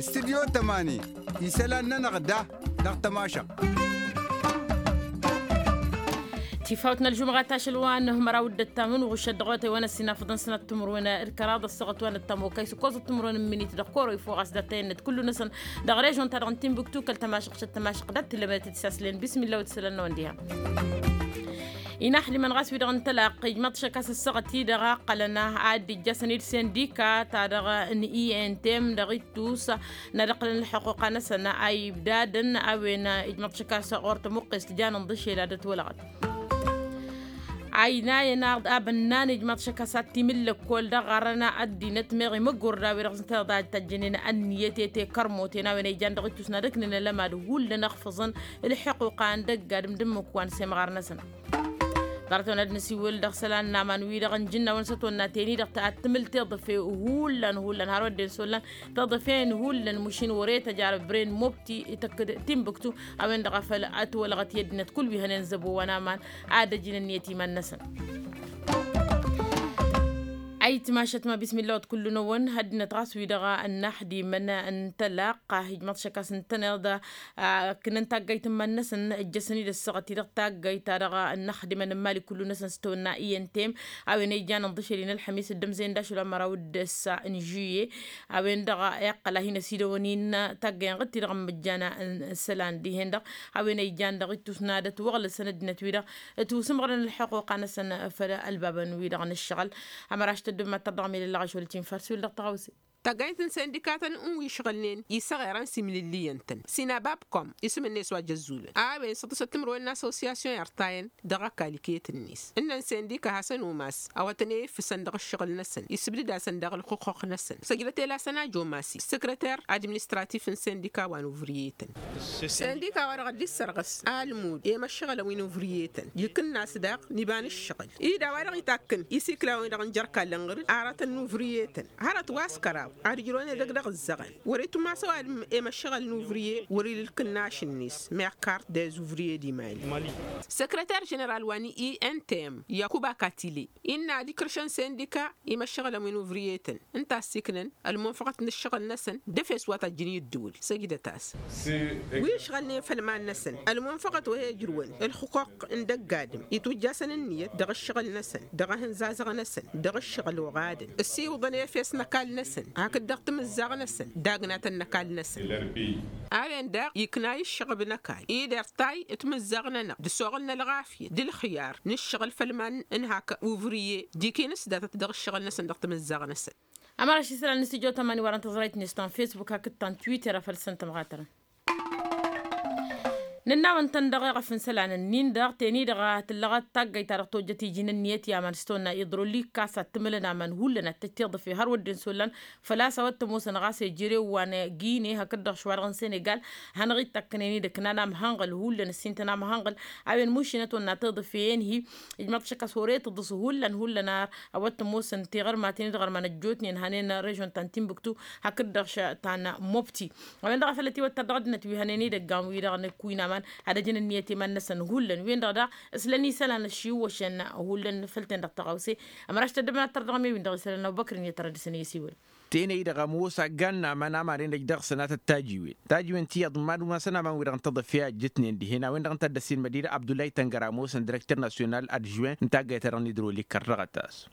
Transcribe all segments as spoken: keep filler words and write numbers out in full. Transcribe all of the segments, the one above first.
Studyo tămani isălan-nănăɣ da dăɣ-tămašăɣt. Tifawt n-ălžumɣa tašăl wa n-hmăraw d-ăttamǝn uɣušăt dăɣ-otay wa n-ăssinafăḍăn sănăt timǝrwen d-kăraḍ ăssăɣăt wa n-ăttam okăy s-ǝkkoẓăt timǝrwen n-minit dăɣ-koro ifo ɣas dat-tăyănnăt kullu-năsăn dăɣ-režon-ta-dăɣ n-tinbuktu kăl-tămašăɣ šăt tămašăɣ dat-tǝllămănăt d-isaslăyăn bismilla wa d-isălan-năwăn diha. Inăxdimăn ɣas wi-dăɣ n-tălaqq ijmăḍ šăkkas ăssăɣăt-i-dăɣ a ǝqqălăn ad-dd-ijjăsăn-dd sindika-ta-dăɣ n-i n t m dăɣ-ittus n-ad-ǝqqǝlăn ǝlḥăquqa-năsăn a ibdadăn a-wen ijmăḍ šăkkas ɣur-tămuqqes tijanăn d-ašel ad-ătwălăɣăt. Aynayăn-aɣ abănnan ijmăḍ šăkkas ad-t-imǝllăkkol dăɣ-ɣarăn ăddinăt meɣ imǝggurda wi-dăɣ s-tăḍa tajjănen ănniyăt i-tekărmoten a-wen a ijan dăɣ-ittus n-ad-ǝknen ălămad hullan ăxfǝẓăn ǝlḥăquqa n-dăgg-adǝm d-ǝmmǝk wa n-semɣar-năsăn. Ḍarăt-wen ad-nǝsiwǝl dăɣ-isălan n-aman-wi-dăɣ n-ijǝnnawăn s-ătwănna teni-dăɣ ad-tǝmǝl tiḍǝfe hullan hullan har wădden s-ollan tiḍǝfen hullan mušin wăr-e tăjarăb bren mobti ităkk-dd tinbǝktu a-wen-dăɣ a făl ătwălăɣăt i-ăddinăt kull wi hănen zăbo wa n-aman ad-ăjin ǝnniyăt iman-năsăn. Ayǝtmašăt ma bismilla wăt kullu-năwăn hăddinăt ɣas wi-dăɣ ănnaxdimăn n-tălaqq ijmăḍ šăkkas ǝntăneḍ ǝkkǝnăn taggayt n-iman-năsăn ǝjjăsăn-dd ăssaɣăt-i-dăɣ taggayt-ta-dăɣ ănnaxdimăn n-imali kullu-năsăn s-tăwănna i n t m a-wen a ijanăn d-ašăl-i n-ălxămis dd-ămzăyăn d-ašăl wa n-măraw d-ǝssa n-žuye. A-wen-dăɣ iqqăl a hin-ăsidăwăn-in taggăyăn ɣǝt-ti-dăɣ ǝmmǝjjan n-isălan dihen-dăɣ a-wen a ijan dăɣ-ittus n-ad-ătwăɣlăsăn ăddinăt-wi-dăɣ ătwǝsǝmɣărăn ălḥăquqa-năsăn făll-ălbabăn-wi-dăɣ n-ǝššăɣǝl. Ămăraš tăddǝb ma t-tărdăɣ milăllăɣ ašăl-t-in făr s-wǝl dăɣ-tăɣawse. Taggayt n-sindikatăn n-wi išɣǝlnen isăɣerăn s-imlǝllǝyăn-tăn sinabab kăwăm isǝm-net wa jăzzulăn a-wen săḍǝsăt timǝrwen n-asosiyasyon i-ărtayăn dăɣ-ăkall iket-net ǝnnăn sindika hasăn-umas a-wa tăn-e-ifǝsăn dăɣ-ǝššăɣǝl-năsăn isǝbdǝd-asăn daɣ ǝlxǝqquq-năsăn săjdăt elasăn a jomas, săkrăter administratif n-sindika wa n-uvrǝyetăn. Sindika-wa-dăɣ a dd-issărɣǝs almud i-imăššăɣǝlăn wi n-uvrǝyetăn ikǝnnas daɣ n-iba n-ǝššăɣǝl-i d-a-wa-dăɣ itakkǝn isiklawăn-i-dăɣ n-jărkallăn ɣǝr-dd aratăn n-uvrǝyetăn hărăt wa s-kăraḍ ad-ǝjrăwăn edăgg dăɣ-ǝzzăɣăn. Wăr-itumas ăwadǝm i-imăššăɣǝl n-uvrǝye wăr-ila ǝlkǝnnaš-net meɣ kart dez uvrǝye d-imali. Săkrăter ženeral wa n-i n t m yakuba katile innă ad-ikrǝšăn sindika i-imăššăɣǝlăn wi n-uvrǝyetăn ǝnta a ăssiiknăn ălmunfăɣăt n-ǝššăɣǝl-năsăn d-efes wa tăjjǝn i-ǝddǝwǝl săjdăt-as. Wi ǝšɣălnen făll-iman-năsăn ălmunfăɣăt wa he-ǝjrǝwăn ǝlxǝquq n-dăgg-adǝm itwǝjjasăn ǝnniyăt dăɣ-ǝššăɣǝl-năsăn dăɣ-ehǝnzazăɣ-năsăn dăɣ-ǝššăɣǝl oɣadăn ăssiwǝḍăn efes n-ăkall-năsăn hakd dăɣ-timǝzzaɣ-năsăn d-agnatăn n-ăkall-năsăn. A-wen daɣ ikna i-ǝššăɣb n-ăkall-i d-irtay timǝzzaɣ-nănăɣ d-ăsoɣǝl n-ălɣafyăt d-ǝlxǝyar n-ǝššăɣǝl făll-iman n-hak uvriye d-ikinǝs datăt dăɣ-ǝššăɣǝl-năsăn dăɣ-timǝzzaɣ-năsăn. Ămăra ašisălan n-stujo tămani wărăn tăẓrayt-net ta n-fesbuk hakd ta n-twitter a făl săn tămɣatărăn. Nǝnnawăn-tăn dăɣ-eɣăf n-isălan-ǝnnin-dăɣ teni-dăɣ a tǝllăɣăt taggayt-ta-dăɣ tojjăt iji n-ǝnniyăt i-aman s-tăwănna iḍrolikas ad-tǝmǝlăn aman hullan ad-tăj tiḍǝfe har wădden s-ollan. Făl-a-s a-wa t-ămoosăn ɣas ejărew wa n-gine hakd-dăɣ šwa-dăɣ n-senegal a hanăɣ-ittakkănen-dd ǝknan amhănɣǝl hullan ǝssintăn amhănɣǝl. A-wen mušinăt wănna tiḍǝfe-en-hi ijmăḍ šăkk a-s wăr-e tǝḍǝs hullan hullan ar a-wa t-ămoosăn tiɣărmaten-dd ɣărman ăjjootnen hanen režon ta n-tinbuktu hakd-dăɣ ta n-mobti. A-wen-dăɣ a făl ătiwăttăr dăɣ-ăddinăt wi hănen idăggan-wi-dăɣ n-ǝkkuy n-aman ad-ăjǝn ǝnniyăt iman-năsăn hullan wen-dăɣ daɣ ǝslăn isălan ăššiwwăšăn hullan făll-ten-dăɣ tăɣawse. Ămăraš tăddăbnat tărdăɣ-me-win-dăɣ isălan ăbubăkr n-iyyăt ara dăr-săn i-ăsiwăl. Tenăy-dăɣ ămoos aggan n-aman a maden-dăj dăɣ-săn a tăt-tajiwen tajiwen ti iyyăḍ n-mad-umasăn aman-wi-dăɣ n-tăḍăfe a ǝjjǝtnen dihen a-wen-dăɣ ǝnta a dd-ăssin mădinăt abdulay tăngăra ămoosăn direkter nasyonal adžwen n-taggayt-ta-dăɣ n-idrolik kăr-dăɣ a tas.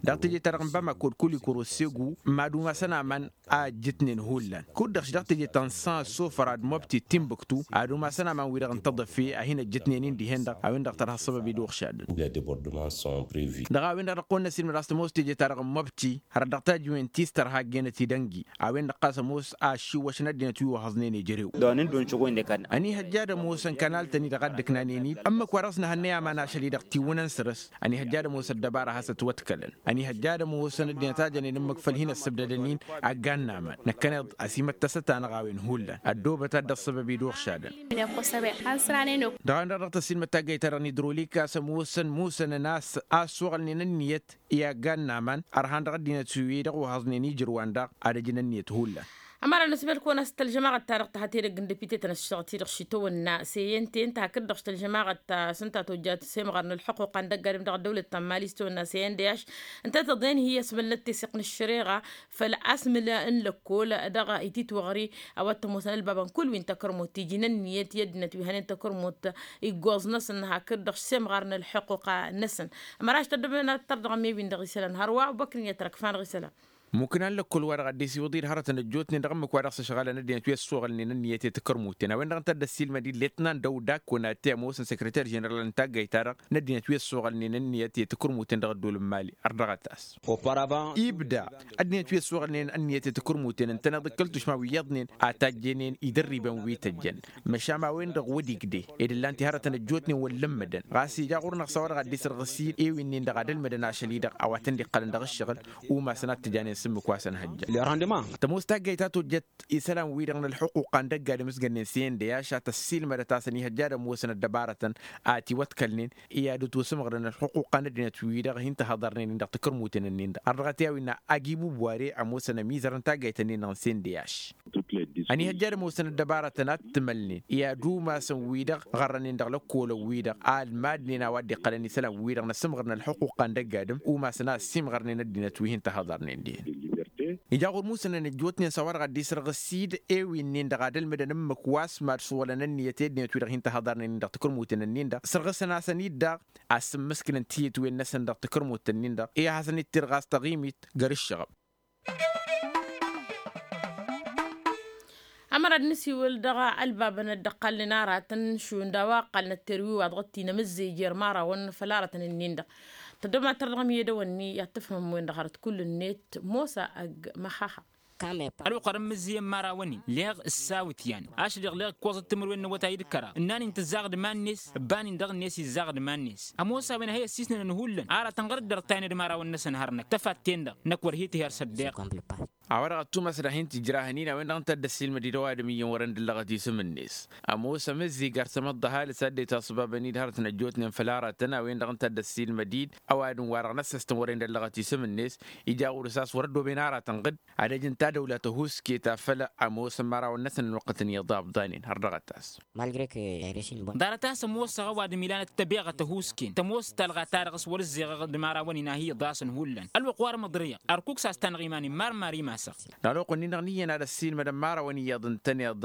Dăɣ-teje-ta-dăɣ n-bamako d-kulikoro segu mad-umasăn aman a ǝjjǝtnen hullan kud-dăɣ š-dăɣ teje-ta n-săn ăssofăr ad-mobti d-tinbuktu ad-umasăn aman-wi-dăɣ n-tăḍăfe a hin-ăjjǝtnen-in dihen-dăɣ a-wen-dăɣ tărha ăssăbăb-i d-uɣšadăn. Dăɣ-a-wen-dăɣ dăɣ-kăwăn-năsilmăd a-s tămoos teje-ta-dăɣ n-mobti hărăt dăɣ-tajǝwen ti s-tărha ăggăynăt idăngi a-wen-dăɣ ɣas ămoos a ăššiwwăšăn ăddinăt wi wăhhăẓnen ejărew. Ănihăjja ad-ămoosăn kanal-tăn-i-dăɣ a dd-ǝknanen-dd ămmǝk-wa-dăɣ s-năhănnăy aman ašăl-i-dăɣ tiwǝnăn săr-s. Ănihăjja ad-ămoos ăddăbara a has-ătwătkălăn ănihăjja ad-ămoosăn ăddinăt a jănen ǝmmǝk făll-hin-ăssǝbdădăn-in. Aggan n-aman năkkăneḍ ăsimăttăsăt-anăɣ a-wen hullan ăddoobăt ad-dd-ăṣṣăbăb-i d-uɣšadăn. Dăɣ-a-wen-dăɣ dăɣ-tăssilmăd taggayt-ta-dăɣ n-idrolik a-s ămoosăn musănăn a-s a ăssoɣălnen ǝnniyăt i-aggan n-aman ărhan dăɣ-ăddinăt wi-dăɣ wăhhăẓnen ijrǝwan daɣ ad-ăjǝn ǝnniyăt hullan. Ămăra n-asbel kăwăn-as tălžămaɣăt-ta-dăɣ tăhăte dăgg-n depite-tăn ăššăɣăt-i-dăɣ šitawănna s-e-yen-ten tahăkăt-dăɣ tălžămaɣăt ta s-ǝnta tojjat semɣar n-ălḥuqquqa n-dăgg-adǝm dăɣ-ăddăwlăt ta n-mali s-tawănna s-e-yen-de-aš. Ǝnta tăḍen hi-asmălnăt teseɣt n-ăššăreɣa făll-asmǝl n-lăkkol dăɣ-ititwăɣri a-wa t-ămoosăn ălbabăn kull wi n-takărmut tiji n-ănniyăt i-ăddinăt wi hănen takărmut iggoẓ-năsăn hakd-dăɣ semɣar n-ălḥuqquqa-năsăn. Ămăraš tăddăbnăt tărdăɣăm i-wi n-dăɣ-isălan hărwa băkk n-iyyăt răkfan ɣisălan. Mukǝn a n-lăkkol-wa-dăɣ a dd-isiwǝḍ-i d-hărătăn ăjjootnen dăɣ-ǝmmǝk wa dăɣ-s ăšɣalăn ăddinăt wi ăssoɣălnen ănniyăt i-takărmuten a-wen-dăɣ ǝnta a dd-ăssiilmăd-dd letnan dăw-dak kăwăn-ate ămoosăn săkrăter ženeral n-taggayt-ta-dăɣ n-ăddinăt wi ăssoɣălnen ănniyăt i-takărmuten dăɣ-ădduul n-mali. Ărdăɣăt-as. Ibda ăddinăt wi ăssoɣălnen ănniyăt i-takărmuten ǝntăneḍ d-kăl-tušma wi iyyăḍnen a tajjănen idărribăn wi tăjjăn. Măšan a-wen-dăɣ wăr-igdeh ed ǝllan-t i-hărătăn ăjjootnen wăr lǝmmădăn ɣas ija ɣur-năɣ s-a-wa-dăɣ a dd-isărɣǝs-dd i-winnin-dăɣ ad-ălmădăn ašăl-i-dăɣ a-wa tăn-dd-iqqălăn dăɣ-ǝššăɣǝl. Umasăn ad-t-ǝjanen s-ǝmmǝk wa s-ănhăjja. Tămoos taggayt ta tojjăt isălan-wi-dăɣ n-ălḥuqquqa n-dăgg-adǝm s-gănnen s-e-yen-de-ašat ăssiilmădăt-asăn ihăjja ad-ămoosăn ăddăbarătăn a tiwătkalnen i-ad-ătwăsǝmɣărăn ălḥuqquqa n-ăddinăt-wi-dăɣ hin-tăhăḍărnen-in dăɣ-takărmuten-nin-dăɣ ărdăɣăt i-a-wen-na agi bubware ămoosăn ămizăr n-taggayt-nin-dăɣ n-sen-de-aš. Ăniihăjja ad-ămoosăn ăddăbarătăn ad-t-mălnen i-ad-umasăn-wi-dăɣ ɣărrănen dăɣ-lăkkolăn-wi-dăɣ a ălmadnen a-wa dd-iqqălăn isălan-wi-dăɣ n-asǝmɣăr n-ălḥuqquqa n-dăgg-adǝm umasăn a ăssiimɣărnen ăddinăt wi hin-tăhăḍărnen dihen. Ija ɣur-musănăn ăjjootnen s-a-wa dăɣ-a dd-isărɣǝs-dd e-winnin-dăɣ ad-ălmǝdăn ǝmmǝk wa s-mad-suwălăn ănniyăt i-ăddinăt wi-dăɣ hin-tăhăḍărnen-in dăɣ-takărmuten-nin-dăɣ sărɣǝsăn-asăn-dd daɣ a-s ǝmmǝskǝlăn tiyǝtwen-năsăn dăɣ-takărmuten-nin-dăɣ i-ad-hasăn-dd-tirɣas taɣimit. Găr-ǝššăɣăb. Ămăra d-nǝsiwǝl dăɣ-ălbabăn ăddăqqalnen aratăn šund a-wa ǝqqalnăt terwi wa dăɣ-t-inămǝzzej i-ărmarawăn făll-aratăn-nin-dăɣ. Tăddobnat tărdăɣăm i-edăwănni i-ad-tǝfhǝmăm-wen-dăɣ hărăt kull-net mosa ăgg măxaxa. Ălwăqq-arăn mǝzzǝyăn imărawăn-in leɣ ǝssawǝtyan ašăl-i-dăɣ leɣ ǝkkoẓăt timǝrwen n-awătay d-kăraḍ ǝnnan-in tǝzzaɣ d-iman-net ǝbban-in dăɣ-net izzaɣ d-iman-net. Ămoos a-wen a hi-ăssisnănăn hullan aratăn ɣur-dd ărtayăn d-imărawăn-năsăn hărnăk tăfatten-dăɣ năkk wăr hi-tǝher s-ăddeɣ. A-wa-dăɣ ad-tumasăd ad-hin-tǝjrahăn-in a-wen-dăɣ ǝnta a dd-ăssiilmăd-dd ăwadǝm iyyăn wărăn d-ǝllăɣăt isǝm-net. Ămoos amǝzzig ar tamăḍt ăhalǝs a dd-itaṣbabăn-dd hărătăn ăjjootnen făll-aratăn a-wen-dăɣ ǝnta a dd-ăssiilmăd-dd ăwadǝm-wa-dăɣ n-ăssăstăn wărăn d-ăllăɣăt isǝm-net. Ija ɣur-s a-s wăr-ăddooben aratăn ɣǝd ad-ăj ǝnta dăwla tăhuske ta făll-ămoosăn imărawăn-năsăn ănwăqqătăn iyyăḍ a ǝbḍanen har dăɣ-ătas. Ḍarăt a-s ămoosăɣ ăwadǝm ilan ăttăbeɣăt ăhuusken tămoos talɣa-ta-dăɣ s-wăr-ǝzzeɣăɣ d-imărawăn-in a hi-iḍasăn hullan ălwăqq wa rămăḍrăyăɣ ărkuk s-a-s tanăɣ iman-in marmar imasăɣ. Dăɣ-ălwăqq-nin-dăɣ n-iyyăn ad-ăssiilmădăn imărawăn iyyăḍ ǝntăneḍ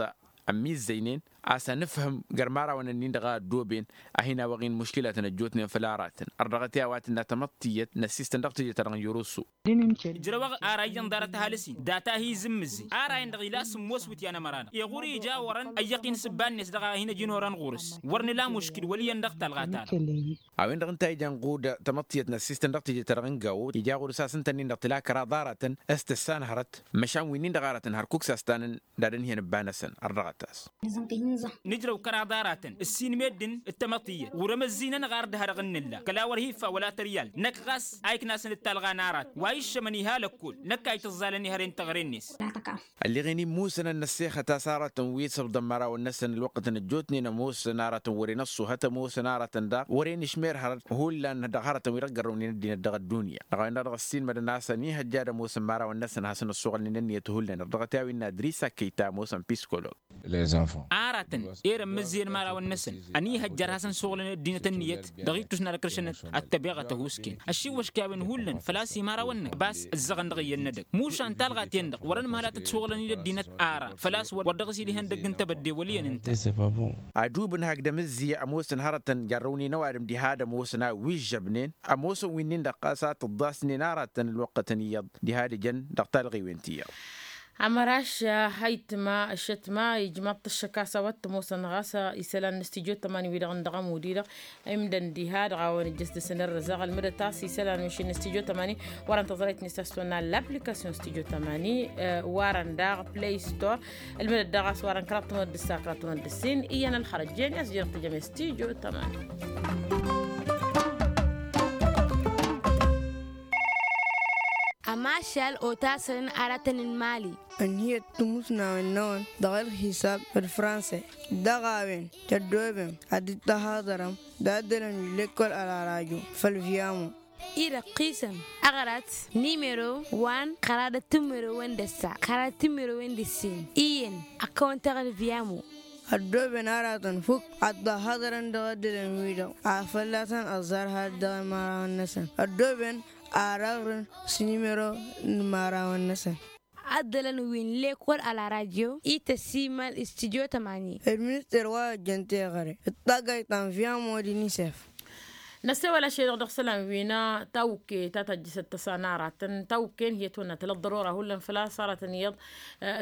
ămmizzăynen a-s anǝfhǝm găr-imărawăn-nin-dăɣ a ăddooben a hin-awăɣ-in muškǝlatăn ăjjootnen făll-aratăn. Ărdăɣăt i-a-wa tǝnna tamăḍt tiyyăt n-ăssistăn dăɣ-tijăt-ta-dăɣ n-jăroso. Ijrăwăɣ ara iyyăn ḍarăt ăhalǝs-in data a hi-izǝmmǝzzǝy ara-in-dăɣ ila sǝmmos wǝtyan ămăra-dăɣ iɣur ija orăn ăyyăq-in s-ǝbba-net dăɣ-a hin-ăj ǝnorăn ɣur-s. Wăr nǝla muškǝl wăl' iyyăn dăɣ-talɣa-ta-dăɣ. A-wen-dăɣ ǝnta a ijan ɣud tamăḍt tiyyăt n-ăssistăn dăɣ-tijăt-ta-dăɣ n-gawo ija ɣur-s a-s ǝnta-nin-dăɣ tǝla kăraḍ aratăn s-tǝssanhărăt. Măšan wi-nin-dăɣ aratăn hărkuk s-a-s ta-năn d-ad-ănhǝyăn ǝbba-năsăn ărdăɣăt-as. Nǝjrăw kăraḍ aratăn ǝssin meddǝn d-tamăḍt iyyăt wăr-ămăzzinăn ɣar dd-ha-dăɣ n-nǝlla kăla wăr hi-iffawăl atrǝyal. Năkk ɣas a iknasăn d-talɣa n-arat wa iššămăn iha lăkkol năkk a itǝẓẓalăn ihăre n-teɣre-net. Ălleɣen-in musănăn n-ăssexăt a-s aratăn wi s-ǝbḍăn imărawăn-năsăn ălwăqqătăn ăjjootnen ămoosăn aratăn wăren ăṣṣuhăt ămoosăn aratăn daɣ wăren išmer hărăt hullan dăɣ-hărătăn wi dăɣ-gărrăwnen ăddinăt dăɣ-ăddunya. Dăɣ-a-wen-dăɣ dăɣ-ăssiilmădăn a-s ănihăjja ad-ămoosăn imărawăn-năsăn ad-hasăn-ăṣṣuɣǝlnen ănniyăt hullan ărdăɣăt i-a-wen n-adrisa kăyy ta ămoosăn piskolob. Aratăn ere ămmǝzzǝyăn imărawăn-năsăn ănihăjja ad-hasăn-suɣǝlăn ăddinăt ǝnniyăt dăɣ-ittus n-ad-ăkrǝšăn ăttăbeɣăt ăhuusken. Ăšiwwăšk i-a-wen hullan făl-a-s imărawăn-năk bas ǝzzăɣăn dăɣ-iyyăn n-edăgg mušan talɣa-ten-dăɣ wărăn măhăl ad-tǝssuɣǝlăn-dd ăddinăt ara făl-a-s wăr dăɣ-s ila ihăndăgg n-tebădde wăl' iyyăn ǝnta. Adub n-hakd amǝzzi ămoosăn hărătăn jarrăwnen ăwadǝm diha ad-ămoosăn a wi ǝžžăbnen ămoosăn wi-nin-dăɣ ɣas a tǝḍḍasnen aratăn ălwăqqătăn iyyăḍ diha ad-ǝjăn dăɣ-talɣiwen ti iyyăḍ. Amăraš a itma ăššătma ijmaḍ-t ăššăk a-s a-wa t-ămoosăn ɣas isălan n-astijyo tămani wi-dăɣ n-dăɣ-ămud-i-dăɣ imdăn diha-dăɣ a-wen ǝjjăs dăr-săn ărrăzăɣ ălmǝdăt a-s isălan wi šin n-astijyo tămani. Wărăn tăẓrayt-net a-s tăwănna l-application astijyo tămani wărăn daɣ play store. Ǝlmǝdăt daɣ a-s wărăn kăraḍ tămăḍ dăr-s a kăraḍ tămăḍ dăr-s-in iyyăn ălxărăt jeni a-s jănăɣ tǝjăm i-astijyo tămani. Ămašal otasăn aratăn n-imali. Ănhǝyăt timusnawen-năwăn dăɣ-ălxisab d-franse dăɣ-a-wen tăddoobem ad-dd-tăhaḍărăm d-addălăn wi n-lekkol ălarajo făll-viamo. I-dăɣ qisăn aɣrat nimero wa n-qărad ăttimero-wen d-ăssa qărad ăttimero-wen d-ǝssin iyyăn. Ăkkăwăn-tăɣ d-vyamo. Ăddooben aratăn fukk ad-ăhhăḍărăn dăɣ-ăddinăn-wi-dăɣ a fălla-tăn ăẓẓar had-dăɣ-imărawăn-năsăn ăddooben. Ar ăɣrǝn s-nimero n-imărawăn-năsăn. Ăddălăn wi n-lekol a la radyo i-tăsimal s-tidyo tămani. Ed minister wa ăjjăn teɣăre d-taggayt ta n-vyamo d-inisef. Năssewăl ašăl-i-dăɣ dăɣ-isălan wi n-tawǝkke ta tăjjǝsăt tăsa n-aratăn tawǝkke n-hi-ătwănna tălăt ḍărora hullan făl-a-s aratăn iyyăḍ.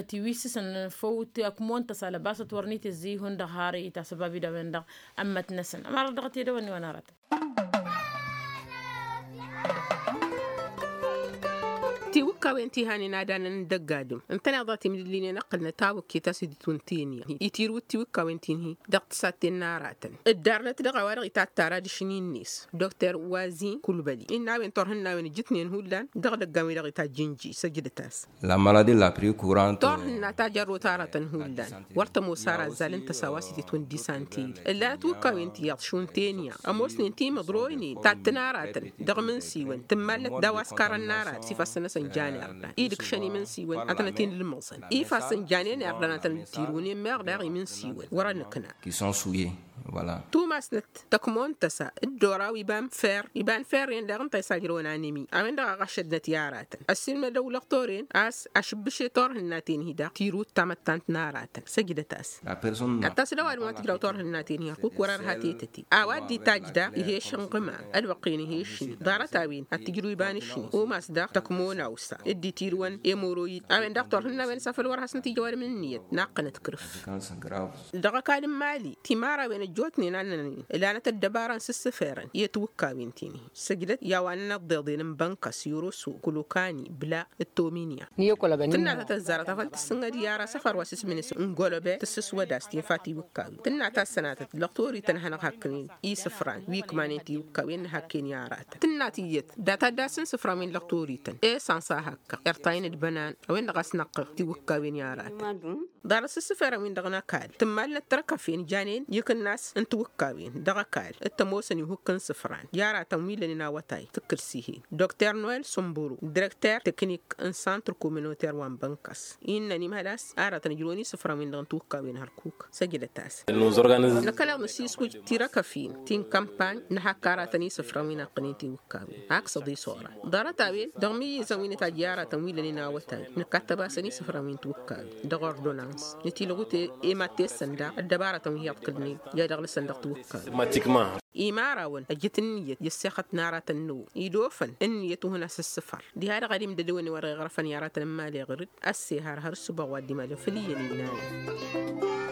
Tiwǝssǝsăn făw ti ăkmon tăsa lăbasăt wăr n-itǝzzǝy hundăɣ har itasăbab-i d-a-wen-dăɣ ămmăt-năsăn ămarăt dăɣ-t edăwănni wa n-aratăn. Tiwǝkkawen ti hanen ad-anăn n-dăgg-adǝm ǝntăneḍ a timdǝllinen ăqqǝlnăt tawǝkket a-s dd-itwǝntǝyăn i-tirǝwǝt tiwǝkkawen ti n-hi-dăɣ tǝsatten n-aratăn dd-arnăt dăɣ-a-wa-dăɣ itattar adiš n-innes. Dokter wazin kulbăli innă a-wen turhǝnnawen ǝjǝtnen hullan dăɣ-idăggan wi-dăɣ itajj ǝnji săjdăt-as. La maladi la pri kurant. Turhǝnna ta jărrot aratăn hullan wăr tămoos ara ăzzal ǝnta s-a-wa s-itǝtwǝn disanteri ǝllanăt wǝkkawen ti iyyăḍ šund tenya ămoosnen timǝḍroynen tattăn aratăn dăɣ-imǝnsiwăn tǝmmalnăt daw-askarăn n-arat s-ifassăn-năsăn jan irdan idǝkšăn imǝnsiwăn ad-tăn-ătinǝlmăẓăn ifassăn janen irdan ad-tăn-dd-tirǝwnen meɣ daɣ imǝnsiwăn wăr-ănǝkna. Tumasnăt tăkmon tăsa dd-oraw iba n-fer iba n-ferren daɣ ǝnta a isajrăwăn anemi a-wen-dăɣ a ɣašădnăt i-aratăn ăssiilmădăw lăqtoren a-s ašǝbbǝše turhǝnnaten-hi-dăɣ tirǝwt tamăttant n-aratăn săjdăt-as. Ad-tasǝdăw adǝm wa tǝjraw turhǝnnaten-hi hărkuk wăr-ărha tetăte a-wa dd-itajj daɣ ih'-e šănɣǝma ălwăqq-en ih'-e šni ḍarăt-a-wen ad-tǝjrǝw iba n-ašni umas daɣ tăkmon awsa dd-itirǝwăn emoroyid a-wen-dăɣ turhǝnnawen s-afăl wăr hasnăt ija ăwadǝm n-ǝnniyăt naqqănăt kǝrǝf. Dăɣ-ăkall n-mali timărawen ăjjootnen a ǝnnănănen ǝlanăt ăddăbara n-sǝssǝferăn i-tiwǝkkawen ti-ni săjdăt i-a-wa n-inăḍḍeḍen n-bănkăs yoroso kulokani bla d-tominya. Tǝnna ta tăzzarăt afăl tǝssǝnɣăd i-ara asăfar wa s-ismǝnǝs n-golobe tǝssǝswăd a-s tinfa tiwǝkkawen tǝnna ta ăssănatăt lăqtorităn a hanăɣ-hakkănen isǝfran wi ǝkmanen tiwǝkkawen n-hakken i-aratăn tǝnna tiyyăt data dd-asǝn isǝfran wi n-lăqtorităn esănsa hakkăɣ irtayăn d-bănan a-wen-dăɣ a-s năqqăɣ tiwǝkkawen i-aratăn. Ḍarăt s-ǝssǝferăn-win-dăɣ n-ăkall tǝmmalnăt tărkăfen janen ikǝnnas n-tiwǝkkawen dăɣ-ăkall d-tămoosăn ihukk n-isǝfran i-aratăn wi lănen awătay tǝkkǝl s-ih'-en dokter noel sǝmburu direkter teknik n-santr komunoter wa n-bănkăs innăn imhăl a-s aratăn ǝjrăwăn isǝfran-win-dăɣ n-tiwǝkkawen hărkuk săjdăt-as. Năkkăneḍ nǝsiswǝj tirăkăfin ti n-kămpany nǝhakk aratăn isǝfran wi n-aqqǝnen tiwǝkkawen aksăḍ isora ḍarăt-a-wen dăɣ-imǝyyǝzăn wi n-itajj i-aratăn wi lănen awătay nǝkkattăbasăn isǝfran wi n-tiwǝkkawen dăɣ-ordonans nǝtilɣut i-mattessăn daɣ ăddăbarătăn wi hi-iḍkǝlnen i-ad-ăɣlăsăn dăɣ-tiwǝkkawen. Imărawăn ăjjǝt ǝnniyăt i-ăssexăt n-aratăn n-ăwwăy idofăn ǝnniyăt uhǝn asǝssǝfăr diha-dăɣ ad-imdădăwăn i-wăr iɣrăfăn i-aratăn n-imali ɣǝr-dd ăssehar har ǝssǝboɣ wa dd-imalăn făll-iyyăn innanăn.